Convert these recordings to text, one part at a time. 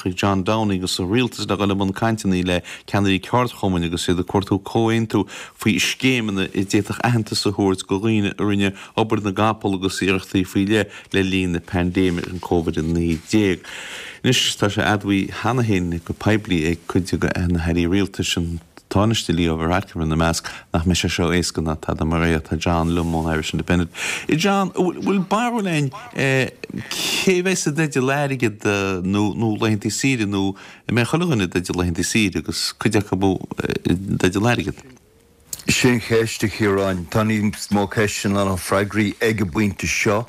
Taoiseach John Downing agus a rialtas le dhul i mbun cainteanna le ceannairí ceardchumainn agus iad ag cuartú comhaontú faoi scéimeanna a d'fhéadfadh aitheantas a thabhairt do dhaoine a rinne obair na gcapall agus iarrachtaí faoi leith le linn na paindéime an Covid-19. Anois tá sé admhaithe cheana féin go poiblí ag cuid de na hairí rialtais, an Tánaiste Leo Varadkar ina measc, nach mbeidh sé seo éasca ná tada mar é. Tá John liom ón Irish Independent. A John, an bhfuil barúil againn cé a bheas i dteideal airgead nó laethanta saoire nó an mbeidh chuile dhuine i dteideal laethanta saoire agus cuid acu i dteideal airgead? Sin an cheist, a Chiaráin. Tá níos mó ceisteanna ná freagraí ag an bpointe seo.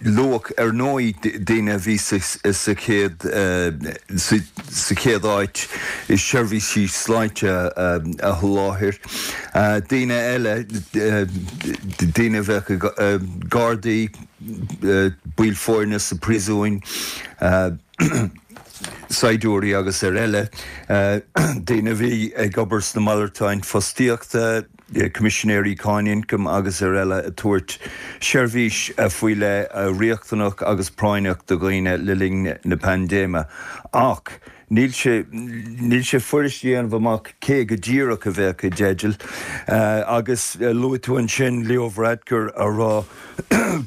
Luadh, ar ndóigh, daoine a bhí sa chéad sa chéad áit i seirbhísí sláinte a sholáthar. Daoine eile, daoine a bheadh gardaí, baill foirne sa phríosúin, saighdiúirí agus ar eile, daoine a bhí ag obair sna malartáin fostaíochta, coimisinéirí cáin ioncaim agus ar eile ag tabhairt seirbhís faoi leith riachtanach agus práinneach do dhaoine le linn na paindéime. Ach níl sé níl sé fuirist a dhéanamh amach cé go díreach a bheadh i dteideal. Agus luaigh tú ansin Leo Varadkar a rá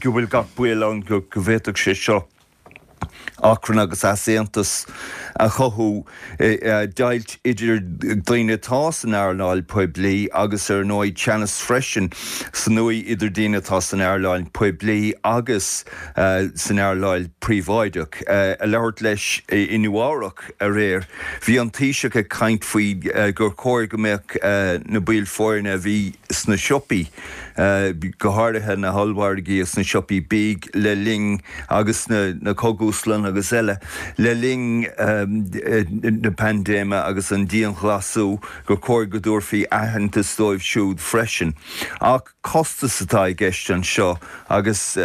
go bhfuil gach baol ann go bhféadfadh sé seo achrann agus easaontas a chothú, deighilt idir daoine atá san earnáil poiblí agus ar ndóigh teannas freisin san uaigh idir daoine atá san earnáil poiblí agus san earnáil príobháideach. Ag labhairt leis i Nua-Eabhrac aréir, bhí an Taoiseach ag caint faoi gur chóir go mbeadh na baill foirne a bhí sna siopaí, go háirithe na hollmhargaí agus na siopaí bídh le linn agus na cogúslanna agus eile le linn na paindéime agus an dianghlasú, gur chóir go dtabharfaí aitheantas dóibh siúd freisin. Ach costas atá i gceist anseo agus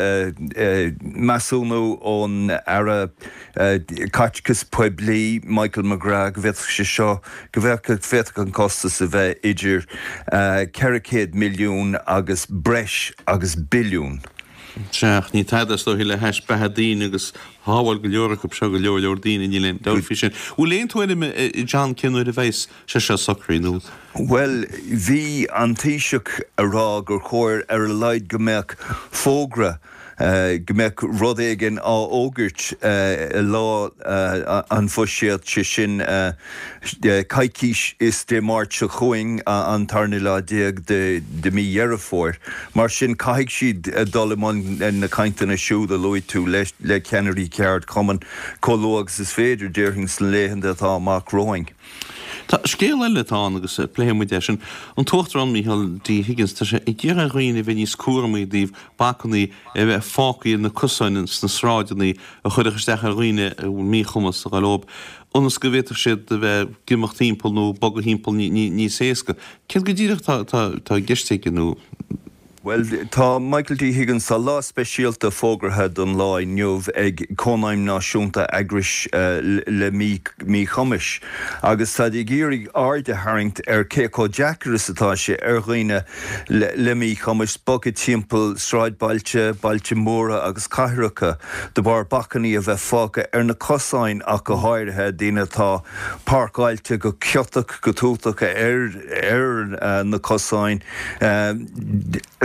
measúnú ón Aire Caiteachais Poiblí, Michael McGrath, go bhféadfadh sé seo, go bhféadfadh an costas a bheith idir 400 milliún agus breis agus billiún. Sea, ach ní tada is dóiche le hais beatha daoine agus shábháil go leor acu seo go leor leor daoine, níl aon dabht faoi sin. Bhfuil aon tuairim ag John cén uair a bheas sé seo socraithe nó? Bhuel, bhí an Taoiseach a rá gur chóir ar a laghad go mbeadh fógra go mbeadh rud éigin á fhógairt lá an bhuiséid, sé sin coicís is Dé Máirt seo chugainn, an tarna lá déag de mí Dheireadh Fómhair. Mar sin, caithfidh siad dul i mbun na cainteanna siúd a luaigh tú le ceannairí ceardchumann chomh luath agus is féidir, déarfainn, sna laethanta atá amach romhainn. Tá scéal eile atá ann agus pléifidh muid é sin. An tUachtarán Micheál D. Higgins, tá sé ag iarraidh ar dhaoine a bheith níos cúramaí i dtaobh bacannaí a bheith fágtha ar na cosáin sna sráideanna a chuirfeadh isteach ar dhaoine a bhfuil míchumas ag gabháil leo, ionas go bhféadfadh siad a bheith ag imeacht thimpeall nó bogadh thimpeall níos éasca. Céard go díreach atá i gceist aige nó. Bhuel, tá Michael D. Higgins, tá lá speisialta fógartha don lá inniu ag Cónaidhm Náisiúnta Eagrais le Míchumais agus táid ag iarraidh aird a tharraingt ar cé chomh deacair is atá sé ar dhaoine le míchumais bogadh timpeall sráidbhailte, bailte móra agus cathracha de bharr bacainní a bheith fágtha ar na cosáin ach go háirithe, daoine atá páirceáilte go ciotach, go tútach ar ar na cosáin,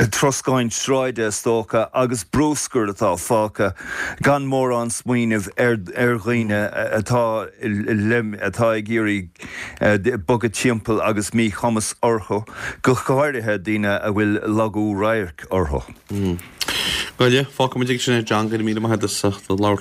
troscáin sráide is dócha, agus brúscar atá fágtha gan mórán smaoineamh ar dhaoine atá atá ag iarraidh bogadh timpeall agus míchumas orthu, go háirithe daoine a bhfuil lagú radhairc orthu. Go leor, fágfaimid ag sin é John, go raibh míle maith agat as ucht labhairt.